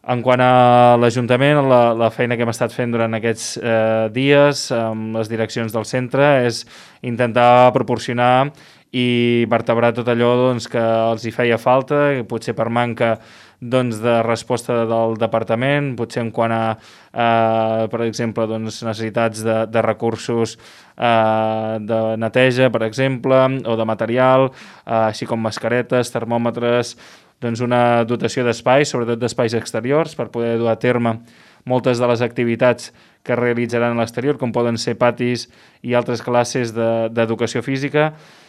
En quant a l'Ajuntament, la feina que hem estat fent durant aquests dies amb les direccions del centre és intentar proporcionar i vertebrar tot allò doncs, que els hi feia falta, potser per manca doncs, de resposta del departament, potser en quant a, per exemple, doncs, necessitats de recursos de neteja, per exemple, o de material, així com mascaretes, termòmetres, doncs una dotació d'espais, sobretot d'espais exteriors, per poder dur a terme moltes de les activitats que realitzaran a l'exterior, com poden ser patis i altres classes d'educació física,